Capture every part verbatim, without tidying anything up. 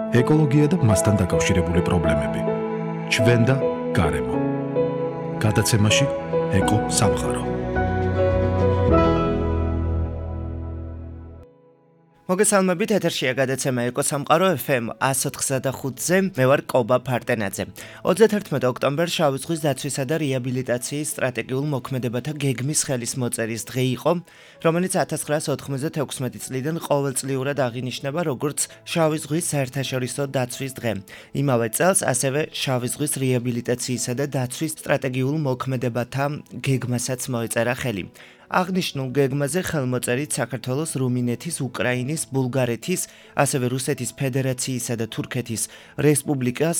ეკოლოგია და მასთან დაკავშირებული პრობლემები. ჩვენ და გარემო. გადაცემაში ეკო სამყარო. მოგესალმებით, ეთერშია გადაცემა ეკო სამყარო ეფ ემ εκατს ოთხსა და ხუთზე. მე ვარ კობა ფარტენაძე. ოცდათერთმეტი ოქტომბერი შავი ზღვის დაცვისა და რეაბილიტაციის სტრატეგიულ მოქმედებათა გეგმის ხელისმოწერის დღე იყო, რომელიც ათას ცხრაასი ოთხმოცდათექვსმეტი წლიდან ყოველწლიურად აღინიშნება როგორც შავი ზღვის საერთაშორისო დაცვის დღე. იმავე წელს ასევე შავი ზღვის რეაბილიტაციისა და დაცვის სტრატეგიულ მოქმედებათა გეგმასაც მოეწერა ხელი. აღნიშნულ გეგმაზე ხელმოწერით საქართველოს, რუმინეთის, უკრაინის, ბულგარეთის, ასევე რუსეთის ფედერაციისა და თურქეთის რესპუბლიკას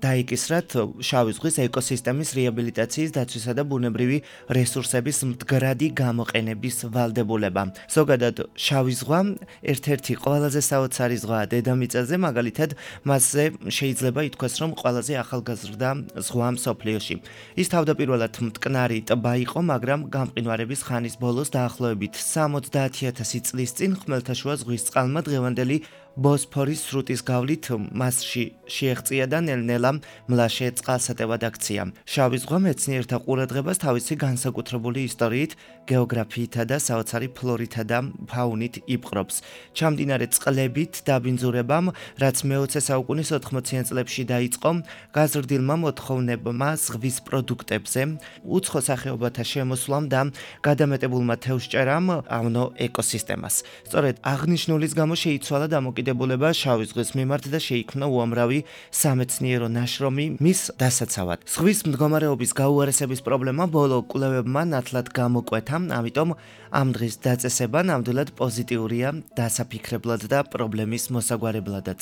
დაიკისრათ შავი ზღვის ეკოსისტემის რეაბილიტაციის, დაცვისა და ბუნებრივი რესურსების მდგრადი გამოყენების ვალდებულება. ზოგადად, შავი ზღვა ერთ-ერთი ყველაზე საოცარი ზღვაა დედამიწაზე, მაგალითად, მასზე შეიძლება ითქვას, რომ ყველაზე ახალგაზრდა ზღვა მსოფლიოში. ის თავდაპირველად მტკნარი ტბა იყო, მაგრამ გამყინვარების ხანის ბოლოს დაახლოებით სამოცდაათი ათასი წლის წინ ხმელთაშუა ზღვის წყალმა დღევანდელი ბოსფორის სრუტის გავლით მასში შეეღწია და ნელ-ნელა მლაშე წყალსატევად აქცია. შავი ზღვა მეცნიერთა ყურადღებას თავისი განსაკუთრებული ისტორიით, გეოგრაფიითა და საოცარი ფლორითა და ფაუნით იპყრობს. ჩამდინარე წყლებით დაბინძურებამ, რაც მეოცე საუკუნის ოთხმოციან წლებში დაიწყო, გაზრდილმა მოთხოვნებმა ზღვის პროდუქტებზე, უცხო სახეობათა შემოსვლამ და გადამეტებულმა თევზჭერამ ავნო ეკოსისტემას. სწორედ აღნიშნულის გამო შეიცვალა დამოკიდებულება შავი ზღვის მიმართ და შეიქმნა უამრავი სამეცნიერო ნაშრომი მის დასაცავად. ზღვის მდგომარეობის გაუარესების პრობლემა ბოლო კვლევებმა ნათლად გამოკვეთა, ამიტომ ამ დღის დაწესება ნამდვილად პოზიტიურია დასაფიქრებლად და პრობლემის მოსაგვარებლადაც.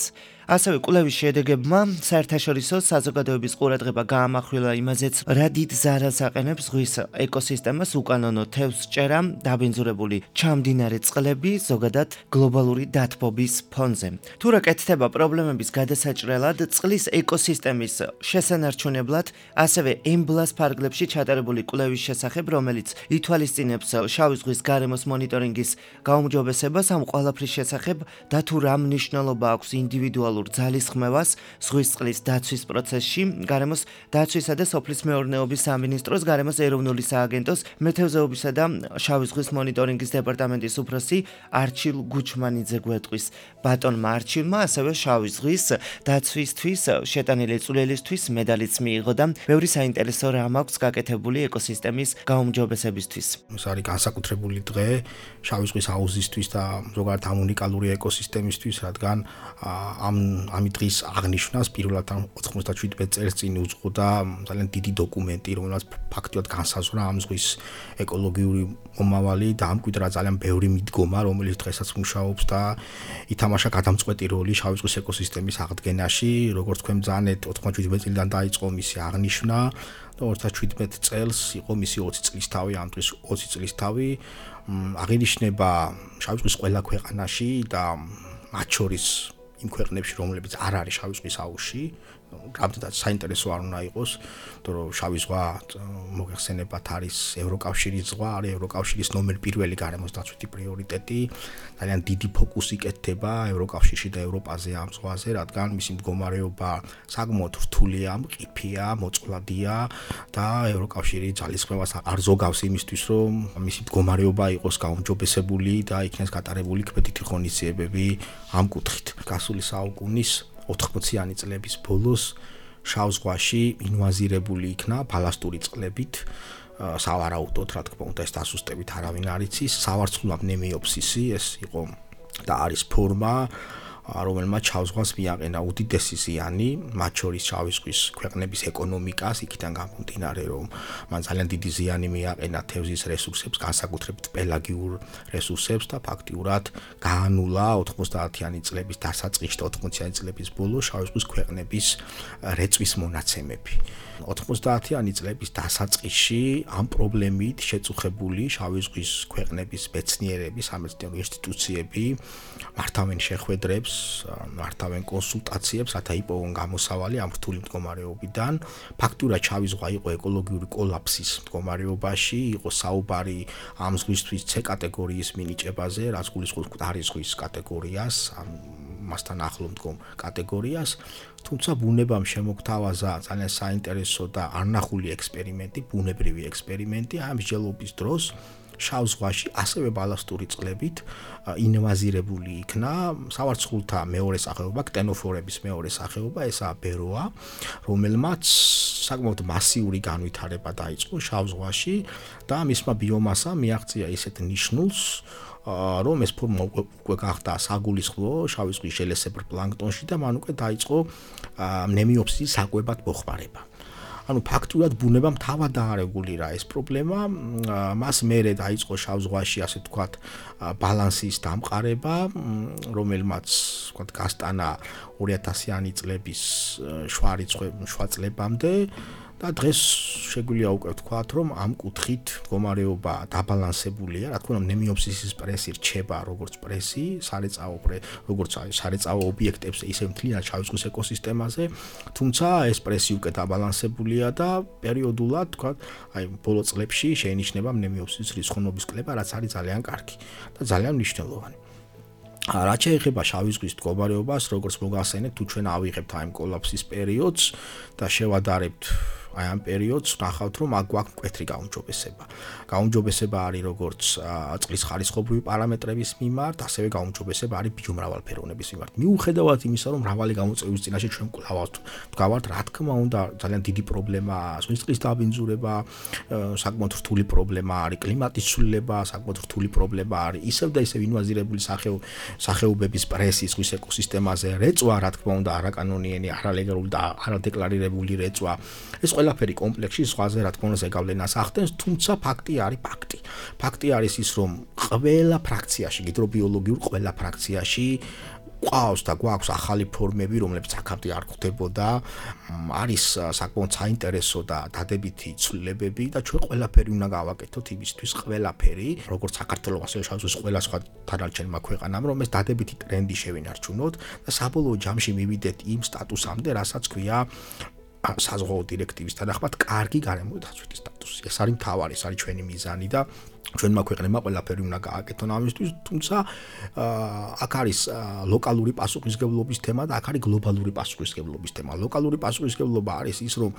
ასევე კვლევის შედეგებმა საერთაშორისო საზოგადოების ყურადღება გაამახვილა იმაზეც, რა დიდ ზარალს აყენებს ზღვის ეკოსისტემას უკანონო თევზჭერა, დაბინძურებული ჩამდინარე წყლები, ზოგადად გლობალური დათბობის ფონზე. თუ რა კეთდება პრობლემების გადასაჭრელად, წყლის ეკოსისტემის შესანარჩუნებლად, ასევე ემბლას ფარგლებში ჩატარებული კვლევის შესახებ, რომელიც ითვალისწინებს შავი ზღვის გარემოს მონიტორინგის გაუმჯობესებას, ამ ყველაფრის შესახებ და თუ რა მნიშვნელობა აქვს ინდივიდუალურ ძალისხმევას ზღვის წყლის დაცვის პროცესში, გარემოს დაცვისა და სოფლის მეურნეობის სამინისტროს, გარემოს ეროვნული სააგენტოს, მეთევზეობისა და შავი ზღვის მონიტორინგის დეპარტამენტის უფროსი არჩილ გუჩმანიძე გვეტყვის. ბატონმა არჩილმა ასევე შავი ზღვის დაცვისთვის შეტანილი წვლილისთვის მედალიც მიიღო და ბევრი საინტერესო რამ აქვს გაკეთებული ეკოსისტემის გაუმჯობესებისთვის. ეს არის განსაკუთრებული დღე შავი ზღვის აუზისთვის და ზოგადად ამ უნიკალური ეკოსისტემისთვის, რადგან ამ ამი დღის აღნიშვნას პირველად ოცდაშვიდ წელს წინ უძღოდა ძალიან დიდი დოკუმენტი, რომელსაც ფაქტიურად განსაზღვრა ამ ზღვის ეკოლოგიური მომავალი და ამკვიდრა ძალიან ბევრი მიდგომა, რომელიც დღესაც მუშაობს და ითამაშა გადამწყვეტი როლი შავი ზღვის ეკოსისტემის აღდგენაში. როგორც თქვენ ბრძანეთ, ოცდაშვიდ წლიდან დაიწყო მისი აღნიშვნა და ოცდაშვიდ წელს იყო მისი ოცი წლისთავი, ამ დღეს ოცი წლისთავი აღინიშნება შავი ზღვის ყველა ქვეყანაში და მათ შორის იმ ქვეყნებში, რომლებიც არ არის შავი ზღვის აუზში. რამდენად საინტერესო არ უნდა იყოს, იმიტომ რომ შავი ზღვა მოგეხსენებათ არის ევროკავშირის ზღვა, არის ევროკავშირის ნომერ პირველი გარემოს დაცვითი პრიორიტეტი. ძალიან დიდი ფოკუსი კეთდება ევროკავშირში და ევროპაზე ამ ზღვაზე, რადგან მისი მდგომარეობა საკმაოდ რთულია, მყიფეა, მოწყვლადია და ევროკავშირი ძალისხმევას არ ზოგავს იმისთვის, რომ მისი მდგომარეობა იყოს გაუმჯობესებული და იქნეს გატარებული კვეთითი ღონისძიებები ამ კუთხით. გასული საუკუნის ოთხმოციანი წლების ბოლოს შავ ზღვაში ინვაზირებული იქნა ბალასტური წყლებით, სავარაუდოდ, რა თქმა უნდა, ეს დასუსტებით არავინ არ იცის, სავარცხლურა ნემიოფსისი, ეს იყო და არის ფორმა, რომელმაც შავ ზღვას მიაყენა უდიდესი ზიანი, მათ შორის შავი ზღვის ქვეყნების ეკონომიკას, იქიდან გამომდინარე, რომ მან ძალიან დიდი ზიანი მიაყენა თევზის რესურსებს, განსაკუთრებით პელაგიურ რესურსებს და ფაქტიურად გაანულა ოცდაათიანი წლების დასაწყისში და ოცდაათიანი წლების ბოლოს შავი ზღვის ქვეყნების რეწვის მონაცემები. ოცდაათიანი წლების დასაწყისში ამ პრობლემით შეწუხებული შავი ზღვის ქვეყნების მეცნიერები, სამეცნიერო ინსტიტუციები მართავენ შეხვედრებს, მართავენ კონსულტაციებს, რათა იპოვონ გამოსავალი ამ რთული მდგომარეობიდან. ფაქტურად შავი ზღვა იყო ეკოლოგიური კოლაფსის მდგომარეობაში, იყო საუბარი ამ ზღვისთვის C კატეგორიის მინიჭებაზე, რაც გულისხმობს მკვდარი ზღვის კატეგორიას, მასთან ახლო მდგომ კატეგორიას, თუმცა ბუნებამ შემოგთავაზა ძალიან საინტერესო და არნახული ექსპერიმენტი, ბუნებრივი ექსპერიმენტი ამ მსჯელობის დროს შავ ზღვაში ასევე ბალასტური წყლებით ინვაზირებული იქნა სავარცხლთა მეორე სახეობა, ქტენოფორების მეორე სახეობა, ესაა ბეროა, რომელმაც საკმაოდ მასიური განვითარება დაიწყო შავ ზღვაში და მისმა ბიომასამ მიაღწია ისეთ ნიშნულს, რომ ეს ფორმა უკვე გახდა საგულისხმო შავი ზღვის შელესებურ პლანქტონში და მან უკვე დაიწყო ნემიოფსისის საკვებად მოხმარება. ანუ ფაქტურად ბუნებამ თავად დაარეგულირა ეს პრობლემა, მას მერე დაიწყო შავ ზღვაში ასე ვთქვათ ბალანსის დამყარება, რომელმაც ვთქვათ გასტანა ორი ათასიანი წლების შვა რიცხვი შვა წლებამდე და დღეს შეგვიძლია უკვე ვთქვათ, რომ ამ კუთხით მდგომარეობა დაბალანსებულია, რა თქმა უნდა, ნემიოფსისის პრესი რჩება როგორც პრესი, სარეწაო როგორც სარეწაო ობიექტებზე, ისე მთლიან შავი ზღვის ეკოსისტემაზე, თუმცა ეს პრესი უკვე დაბალანსებულია და პერიოდულად, ვთქვათ, აი ბოლო წლებში შეინიშნება ნემიოფსისის რიცხოვნობის კლება, რაც არის ძალიან კარგი და ძალიან მნიშვნელოვანი. რაც შეეხება შავი ზღვის მდგომარეობას, როგორც მოგახსენებთ, თუ ჩვენ ავიღებთ აი კოლაფსის პერიოდს და შევადარებთ აი ამ პერიოდს ნახავთ, რომ აქ გვაქვს მკვეთრი გაუმჯობესება. გაუმჯობესება არის როგორც წყლის ხარისხობრივი პარამეტრების მიმართ, ასევე გაუმჯობესება არის ბიომრავალფეროვნების მიმართ. მიუხედავად იმისა, რომ მრავალი გამოწვევის წინაშე ჩვენ კვლავ ვდგავართ, რა თქმა უნდა, ძალიან დიდი პრობლემაა ზღვის წყლის დაბინძურება, საკმაოდ რთული პრობლემა არის კლიმატის ცვლილება, საკმაოდ რთული პრობლემა არის ისევ და ისევ ინვაზირებული სახეობების პრესი ზღვის ეკოსისტემაზე, რეწვა, რა თქმა უნდა, არაკანონიერი, არალეგალური და არადეკლარირებული რეწვა. ეს ყველაფერი კომპლექსში ზღვაზე რა თქმა უნდა ზეგავლენას ახდენს, თუმცა ფაქტი არის ფაქტი. ფაქტი არის ის, რომ ყველა ფრაქციაში, ჰიდრობიოლოგიურ ყველა ფრაქციაში ყავს და გვაქვს ახალი ფორმები, რომლებიც აქამდე არ გვხვდებოდა, არის საკმაოდ საინტერესო და დადებითი ცვლილებები და ჩვენ ყველაფერი უნდა გავაკეთოთ იმისთვის, ყველაფერი, როგორც საქართველოს ასევე შავ ზღვის ყველა სხვა დანარჩენმა ქვეყანამ, რომ ეს დადებითი ტრენდი შევინარჩუნოთ და საბოლოო ჯამში მივიდეთ იმ სტატუსამდე, რასაც ქვია საზღვაო დირექტივის თანახმად კარგი გარემო დაცვითი სტატუსი. ეს არის მთავარი, ეს არის ჩვენი მიზანი და ჩვენმა ქვეყნებმა ყველაფერი უნდა გააკეთონ ამისთვის, თუმცა აქ არის ლოკალური პასუხისმგებლობის თემა და აქ არის გლობალური პასუხისმგებლობის თემა. ლოკალური პასუხისმგებლობა არის ის, რომ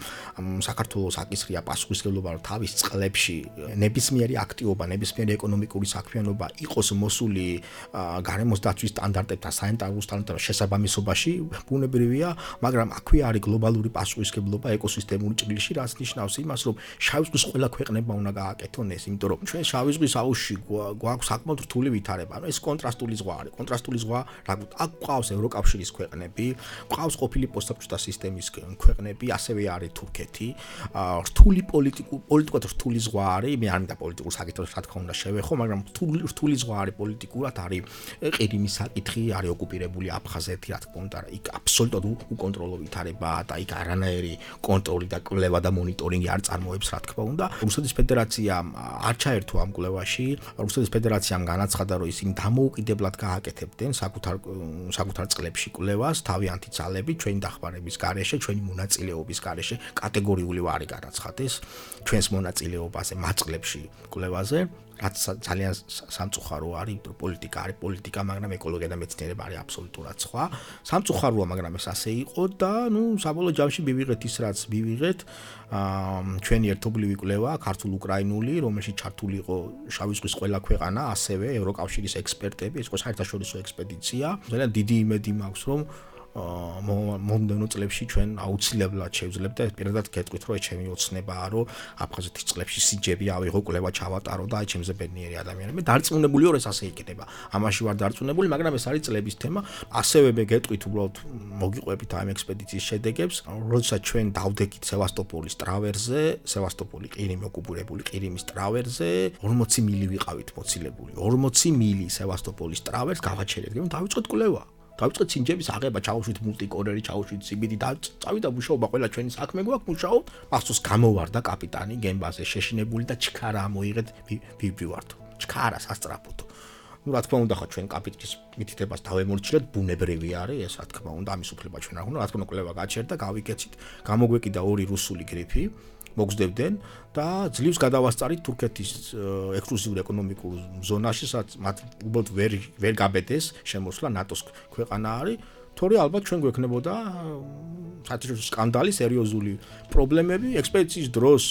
საქართველოს აკისრია პასუხისმგებლობა, რომ თავის წყლებში ნებისმიერი აქტივობა, ნებისმიერი ეკონომიკური საქმიანობა იყოს მოსული გარემოს დაცვის სტანდარტებთან, საინტერესო სტანდარტებთან შესაბამისობაში, ბუნებრივია, მაგრამ აქვე არის გლობალური პასუხისმგებლობა ეკოსისტემური ჭრილში, რაც ნიშნავს იმას, რომ შავი ზღვის ყველა ქვეყნება უნდა გააკეთონ ეს, იმიტომ რომ ჩვენ შავი ზღვის აუზში გვაქვს საკმაოდ რთული ვითარება. ანუ ეს კონტრასტული ზღვა არის. კონტრასტული ზღვა, რა გვქონდა, აქ გვყავს ევროკავშირის ქვეყნები, გვყავს ყოფილი პოსტსაბჭოთა სისტემის ქვეყნები, ასევე არის თურქეთი. რთული პოლიტიკურ, პოლიტიკურად რთული ზღვა არის. მე არ მინდა პოლიტიკურ საკითხებს რა თქმა უნდა შევეხო, მაგრამ რთული რთული ზღვა არის პოლიტიკურად, არის ყირიმის საკითხი, არის ოკუპირებული აფხაზეთი, რა თქმა უნდა, იქ აბსოლუტურად უკონტროლო ვითარებაა და იქ არანაირი კონტროლი და კვლევა და მონიტორინგი არ წარმოებს, რა თქმა უნდა. რუსეთის ფედერაციამ არ ჩაერთო ამ კვლევაში. რუსეთის ფედერაციამ განაცხადა, რომ ისინი დამოუკიდებლად გააკეთებდნენ საკუთარ საკუთარ წყლებში კვლევას, თავიანთი ძალებით, ჩვენი დახმარების გარეშე, ჩვენი მონაწილეობის გარეშე, კატეგორიული ვარი განაცხადეს ჩვენს მონაწილეობაზე მათ წყლებში კვლევაზე. რაც ძალიან სამწუხარო არის, იმიტომ პოლიტიკა არის პოლიტიკა, მაგრამ ეკოლოგია და მეცნიერება არის აბსოლუტურად სხვა. სამწუხაროა, მაგრამ ეს ასე იყო და ნუ საბოლოო ჯამში მივიღეთ ის, რაც მივიღეთ. ჩვენი ერთობლივი კვლევა, ქართულ-უკრაინული, რომელშიც ჩართული იყო შავი ზღვის ყველა ქვეყანა, ასევე ევროკავშირის ექსპერტები, ეს იყო საერთაშორისო ექსპედიცია. ძალიან დიდი იმედი მაქვს, რომ მომდევნო წლებში ჩვენ აუცილებლად შევძლებთ და პირადად გეტყვით, რომ ეს ჩემი ოცნებაა, რომ აფხაზეთის წყლებში სიჯები ავიღო, კვლევა ჩავატარო და აი ჩემზე ბედნიერი ადამიანები. მე დარწმუნებული ვარ, ეს ასე იქნება. ამაში ვარ დარწმუნებული, მაგრამ ეს არის წლების თემა. ასევე მე გეტყვით, უბრალოდ მოგიყვებით ამ ექსპედიციის შედეგებს, როდესაც ჩვენ დავდექით სევასტოპოლის ტრავერზე, სევასტოპოლი ყირიმი ოკუპირებული ყირიმის ტრავერზე, ორმოცი მილი ვიყავით მოცილებული. ორმოცი მილი სევასტოპოლის ტრავერს გავაჩერეთ, გემ დავიწყეთ კვლევა. დავიწყეთ სინჯების აღება, ჩავუშვით მულტიკორერი, ჩავუშვით სიბიდი და წავიდა მუშაობა, ყველა ჩვენი საქმე გვაქვს, მუშაობ. მახსოვს გამოვარდა კაპიტანი გემბაზე შეშინებული და ჩქარა მოიღეთ ვიბრივარდო. ჩქარა სასტრაფოთო. ну რა თქმა უნდა, ხო ჩვენ კაპიტნის მითითებას დავემორჩილეთ, ბუნებრივი არის ეს, რა თქმა უნდა, ამის უფლება ჩვენ არ გვქონდა, რა თქმა უნდა, კვლევა გაჩერდა, გავიკეთეთ, გამოგვეკიდა ორი რუსული გრიფი. მოგზდებდნენ და ძლივს გადავასწარით თურქეთის ექსკლუზიურ ეკონომიკურ ზონაში, სადაც მათ უბრალოდ ვერ ვერ გაბედეს შემოსვლა ნატოს ქვეყანა არის. თორე ალბათ ჩვენ გვექნებოდა საერთაშორისო სკანდალი, სერიოზული პრობლემები, ექსპედიციის დროს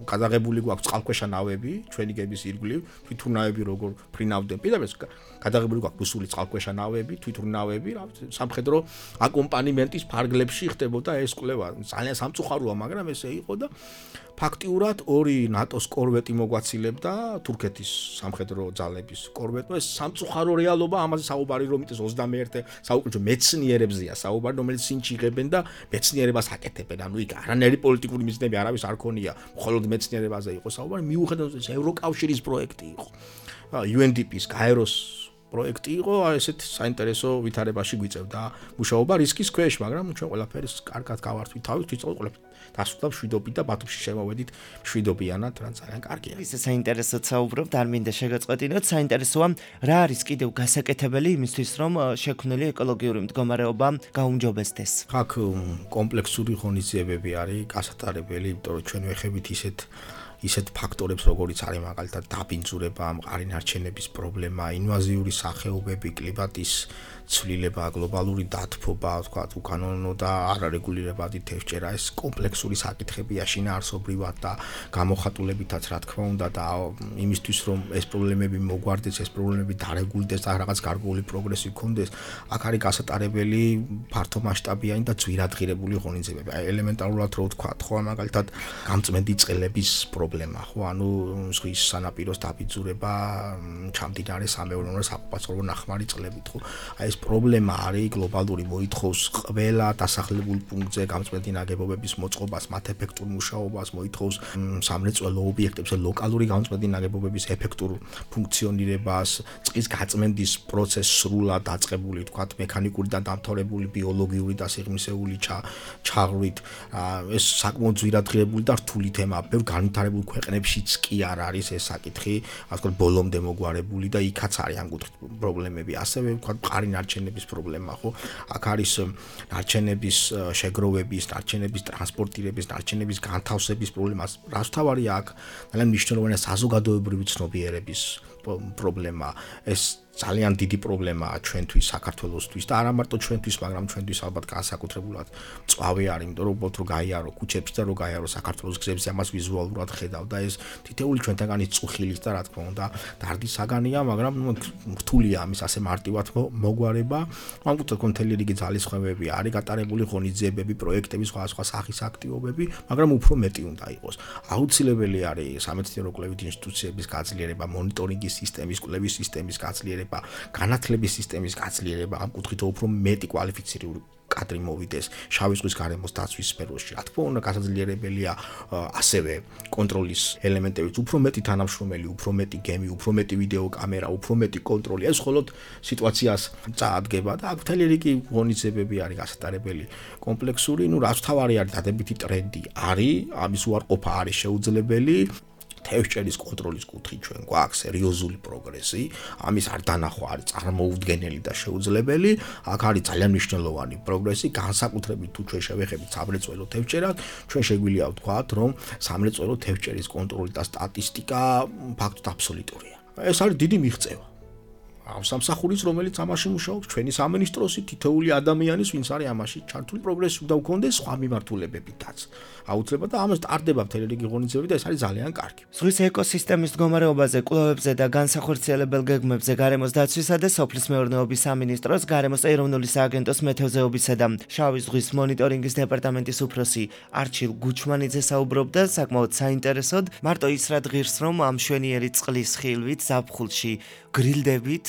გადაღებული გვაქვს წყალქვეშა ნავები, ჩვენი გების ირგვლივ, თვითმფრინავები როგორ ფრინავდნენ. პირდაპირ გადაღებული გვაქვს რუსული წყალქვეშა ნავები, თვითმფრინავები, სამხედრო აკომპანიმენტის ფარგლებში ხდებოდა ეს კვლევა. ძალიან სამწუხაროა, მაგრამ ესე იყო და ფაქტიურად ორი ნატოს კორვეტი მოგვაცილებდა თურქეთის სამხედრო ძალების კორვეტმა. ეს სამწუხარო რეალობა, ამაზე საუბარი რომ იტეს ოცდამეერთე საუკუნეში მეცნიერებზეა საუბარი, რომელიც სინჩი იღებენ და მეცნიერებას აკეთებენ. ანუ იქ არანაირი პოლიტიკური მიზნები არავის არ ქონია, მხოლოდ მეცნიერებაზე იყო საუბარი. მიუხედავად ეს ევროკავშირის პროექტი იყო. იუ ენ დი პი-ის გაეროს პროექტი იყო, ესეთ საინტერესო ვითარებაში გვიწევდა მუშაობა რისკის ქვეშ, მაგრამ ჩვენ ყველაფერს კარგად გავართვით თავით, ვიწყოთ ყველაფერს დასრულდა მშვიდობით და ბათუმში შემოვედით მშვიდობიანად, რა ძალიან კარგია. ისე საინტერესოდ საუბრობთ, არ მინდა შეგაწყვეტინოთ, საინტერესოა რა არის კიდევ გასაკეთებელი იმისთვის, რომ შექმნილი ეკოლოგიური მდგომარეობა გაუმჯობესდეს. აქ კომპლექსური ღონისძიებები არის გასატარებელი, იმიტომ რომ ჩვენ ვეხებით ისეთ ისეთ ფაქტორებს, როგორიც არის მაგალითად დაბინძურება, მყარი ნარჩენების პრობლემა, ინვაზიური სახეობები, კლიმატის ცვლილება, გლობალური დათბობა, თქვა უკანონო და არარეგულირებადი თევზჭერა, ეს კომპლექსური საკითხებია შინაარსობრივად და გამოხატულებითაც, რა თქმა უნდა, და იმისთვის, რომ ეს პრობლემები მოგვარდეს, ეს პრობლემები დარეგულდეს და რაღაც გარკვეული პროგრესი გქონდეს, აქ არის გასატარებელი ფართომასშტაბიანი და ძვირადღირებული ღონისძიებები. აი ელემენტარულად რო ვთქვა, ხო, მაგალითად გამწმენდი წყლების პრობლემა, ხო, ანუ ზღვის სანაპიროს დაბინძურება, ჩამდინარე სამეურნეო საყოფაცხოვრებო ნახმარი წყლებით, ხო. აი ეს პრობლემა არის გლობალური, მოითხოვს ყველა დასახლებულ პუნქტზე გამწმენდი ნაგებობების მოწყობას, მათ ეფექტურ მუშაობას, მოითხოვს სამრეწველო ობიექტებზე ლოკალური გამწმენდი ნაგებობების ეფექტურ ფუნქციონირებას, წყლის გაწმენდის პროცესს სრულად დაწყებული, თქვათ, მექანიკური და დამთავრებული ბიოლოგიური და სიღრმისეული ჩაღრვით. ეს საკმაოდ ძვირადღირებული და რთული თემაა. ბევრ განვითარებულ ქვეყნებშიც კი არ არის ეს საკითხი, ასე ვთქვათ, ბოლომდე მოგვარებული და იქაც არის ამ კუთხით პრობლემები. ასევე ვთქვათ, მყარი ნარჩენების პრობლემა, ხო? აქ არის ნარჩენების შეგროვების, ნარჩენების ტრანსპორტირების, ნარჩენების განთავსების პრობლემა. რაც თავარია აქ ძალიან მნიშვნელოვანია საზოგადოებრივი ცნობიერების პრობლემა. ეს ძალიან დიდი პრობლემაა ჩვენთვის, საქართველოსთვის და არა მარტო ჩვენთვის, მაგრამ ჩვენთვის ალბათ განსაკუთრებულად მწვავე არის, იმიტომ რომ უბრალოდ რო გაიარო ქუჩებში და რო გაიარო საქართველოს გზებზე, ამას ვიზუალურად ხედავ და ეს თითეული ჩვენთაგანი წუხილის და რა თქმა უნდა დარდის საგანია, მაგრამ რთულია ამის ასე მარტივად მოგვარება. ამ კუთხით მთელი რიგი ძალისხმევები არის გატარებული, ღონისძიებები, პროექტები, სხვადასხვა სახის აქტივობები, მაგრამ უფრო მეტი უნდა იყოს. აუცილებელი არის სამეცნიერო კვლევით ინსტიტუციების გაძლიერება, მონიტორინგის სისტემის, კვლევის სისტემის გაძლიერება, განათლების სისტემის გაძლიერება, ამ კუთხით უფრო მეტი კვალიფიცირებული კადრი მოვიდეს შავი ზღვის გარემოს დაცვის სფეროში. რა თქმა უნდა, გასაძლიერებელია ასევე კონტროლის ელემენტებით, უფრო მეტი თანამშრომელი, უფრო მეტი გემი, უფრო მეტი ვიდეო კამერა, უფრო მეტი კონტროლი. ეს მხოლოდ სიტუაციას წაადგება და აქ მთელი რიგი ღონისძიებები არის გასატარებელი, კომპლექსური, ну რაც თავარი არის დადებითი ტრენდი არის, ამის უარყოფა არის შეუძლებელი. თევზჭერის კონტროლის კუთხით ჩვენ გვაქვს სერიოზული პროგრესი, ამის არ დანახვა არის წარმოუდგენელი და შეუძლებელი. აქ არის ძალიან მნიშვნელოვანი პროგრესი, განსაკუთრებით თუ ჩვენ შევეხებით სამრეწველო თევზჭერას, ჩვენ შეგვიძლია ვთქვათ, რომ სამრეწველო თევზჭერის კონტროლი და სტატისტიკა ფაქტობრივად აბსოლუტურია. ეს არის დიდი მიღწევა. სამსახურის, რომელიც ამაში მუშაობს, ჩვენი სამინისტროსი, თითოეული ადამიანის, ვინც არის ამაში ჩართული, პროგრესი უნდა გქონდეს სხვა მიმართულებებითაც. აუცილებლად და ამას ტარდება მთელი რიგი ღონისძიებები და ეს არის ძალიან კარგი. ზღვის ეკოსისტემის მდგომარეობაზე, კვლევებზე და განსახორციელებელ გეგმებზე გარემოს დაცვისა და სოფლის მეურნეობის სამინისტროს, გარემოს ეროვნული სააგენტოს მეთევზეობისა და შავი ზღვის მონიტორინგის დეპარტამენტის უფროსი არჩილ გუჩმანიძე საუბრობდა საკმაოდ საინტერესოდ, მარტო ის რა ღირს, რომ ამ მშვენიერი წყლის ხილვით ზაფხულში გრილდებით,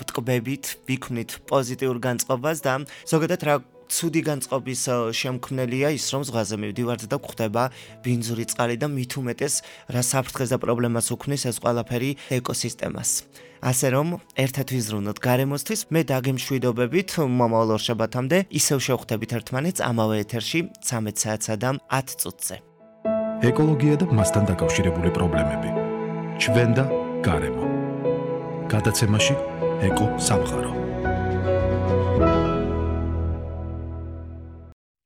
ტყბებით ვიქმნით პოზიტიურ განწყობას და ზოგადად რა ცუდი განწყობის შემქმნელია ის, რომ ზღვაზე მივდივართ და გვხვდება ბინძური წყალი და მით უმეტეს რა საფრთხეს და პრობლემას უქმნის ეს ყველაფერი ეკოსისტემას. ასე რომ, ერთად ვიზრუნოთ გარემოსთვის, მე დაგემშვიდობებით მომავალ ორშაბათამდე ისევ შევხვდებით ერთმანეთს ამავე ეთერში ცამეტ საათსა და ათ წუთზე. ეკოლოგია და მასთან დაკავშირებული პრობლემები. ჩვენ და გარემო. გადაცემაში ეკო სამყარო.